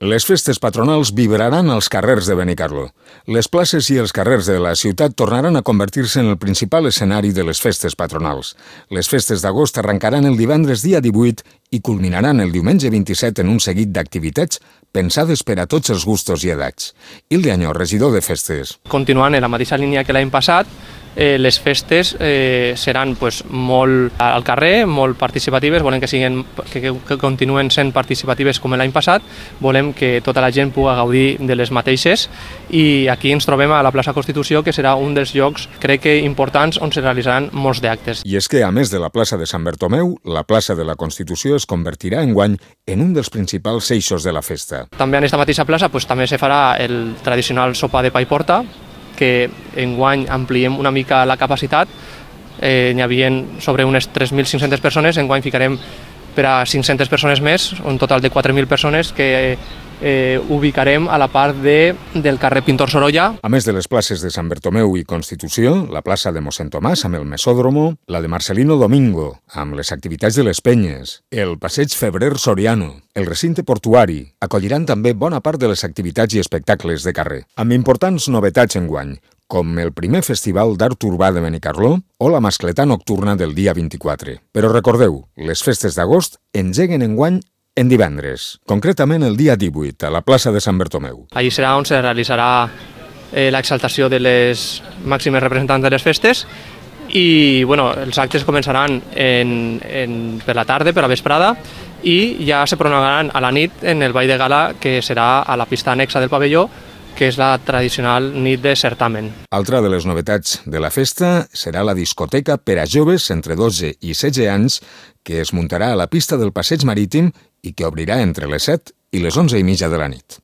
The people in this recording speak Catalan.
Les festes patronals vibraran als carrers de Benicarló. Les places i els carrers de la ciutat tornaran a convertir-se en el principal escenari de les festes patronals. Les festes d'agost arrencaran el divendres dia 18 i culminaran el diumenge 27 en un seguit d'activitats pensades per a tots els gustos i edats. Hilde Añó, regidor de festes. Continuant en la mateixa línia que l'any passat, les festes seran molt al carrer, molt participatives, volem que continuen sent participatives com l'any passat, volem que tota la gent pugui gaudir de les mateixes i aquí ens trobem a la plaça Constitució, que serà un dels llocs, crec que importants, on se realitzaran molts d'actes. I és que, a més de la plaça de Sant Bertomeu, la plaça de la Constitució es convertirà enguany en un dels principals eixos de la festa. També en aquesta mateixa plaça també se farà el tradicional sopar de pa i porta, que enguany ampliem una mica la capacitat. N'hi havia sobre unes 3.500 persones, enguany ficarem per a 500 persones més, un total de 4.000 persones que ubicarem a la part del carrer Pintor Sorolla. A més de les places de Sant Bertomeu i Constitució, la plaça de Mossèn Tomàs amb el Mesòdromo, la de Marcelino Domingo amb les activitats de les Penyes, el passeig Febrer Soriano, el recinte portuari acolliran també bona part de les activitats i espectacles de carrer, amb importants novetats enguany, com el primer festival d'art urbà de Benicarló o la mascletà nocturna del dia 24. Però recordeu, les festes d'agost engeguen enguany en divendres, concretament el dia 18, a la plaça de Sant Bertomeu. Allí serà on se realitzarà l'exaltació de les màximes representants de les festes i els actes començaran per la tarda, per la vesprada, i ja se prolongaran a la nit en el ball de gala, que serà a la pista anexa del pavelló, que és la tradicional nit de certamen. Altra de les novetats de la festa serà la discoteca per a joves entre 12 i 16 anys, que es muntarà a la pista del Passeig Marítim i que obrirà entre les 7 i les 11:30 de la nit.